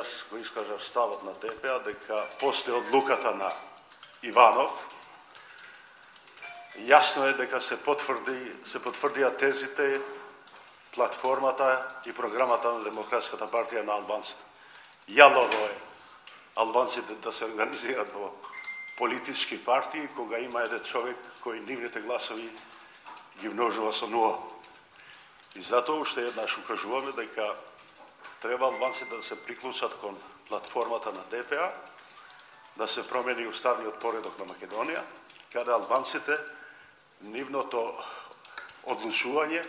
јас го искажав ставот на ДПА дека после одлуката на Иванов, јасно е дека се потврдија тезите, платформата и програмата на Демократската партија на албанците. Јалово е албанците да се организираат во политички партии кога има еден човек кој нивните гласови ги множува со нула. И затоа уште еднаш укажуваме дека треба албанците да се приклучат кон платформата на ДПА, да се промени уставниот поредок на Македонија, каде албанците нивното одлучување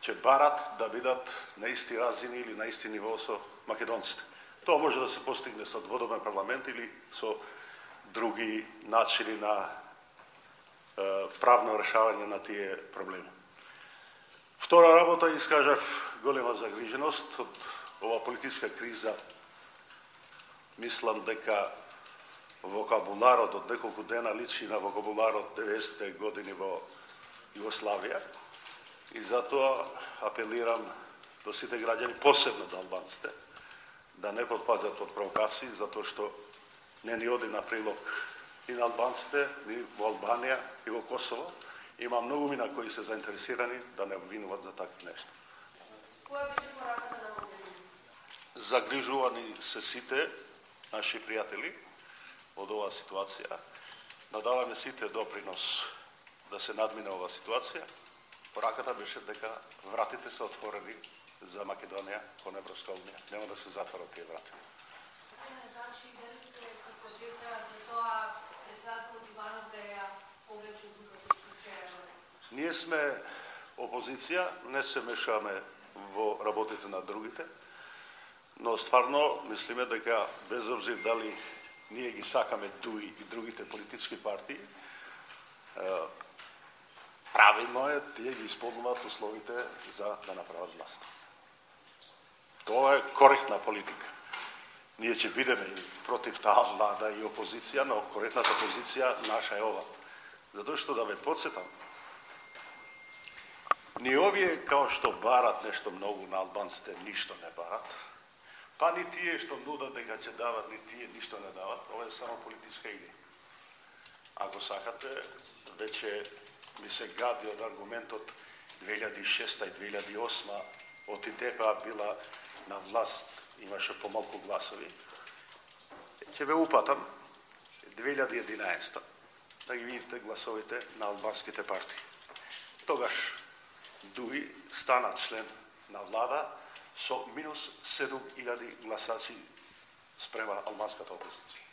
ќе барат да бидат на исти разини или на исти ниво со македонците. Тоа може да се постигне со дводомен парламент или со други начини на правно решавање на тие проблеми. Втора работа, искажав голема загриженост од ова политичка криза. Мислам дека вокабуларот од неколку дена личи на вокабуларот 90-те години во Југославија и затоа апелирам до сите граѓани, посебно до албанците, да не потпаѓат под провокации, затоа што не ни оди на прилог и на албанците, ни во Албанија и во Косово. Има многу мина кои се заинтересирани да не обвинуват за такви нешто. Која беше пораката на Могерини? Загрижувани се сите наши пријатели од оваа ситуација. Надаваме сите допринос да се надмине оваа ситуација. Пораката беше дека вратите се отворени за Македонија кон Европска унија. Нема да се затворат тие врати. Значи, дали сте подготвена за тоа председателот Иванов да ја повлече одлуката вчера? Ние сме опозиција, не се мешаме во работите на другите, но стварно мислиме дека без обзир дали ние ги сакаме ДУИ и другите политички партии, правилно е тие ги исполнуваат условите за да направат власт. Тоа е коректна политика. Ние ќе бидеме и против таа влада и опозиција, но коректната позиција наша е ова. Затоа што да ве подсетам, ни овие као што барат нешто многу на албанците, ништо не барат, па ни тие што нудат дека ќе дават, ни тие ништо не дават, ова е само политичка идеја. Ако сакате, веќе ми се гади од аргументот 2006 и 2008 од ДПА била на власт, имаше помалку гласови. Ќе ве упатам 2011 да ги видите гласовите на албанските партии. Тогаш ДУИ стана член на влада со минус 7000 гласачи спрема албанската опозиција.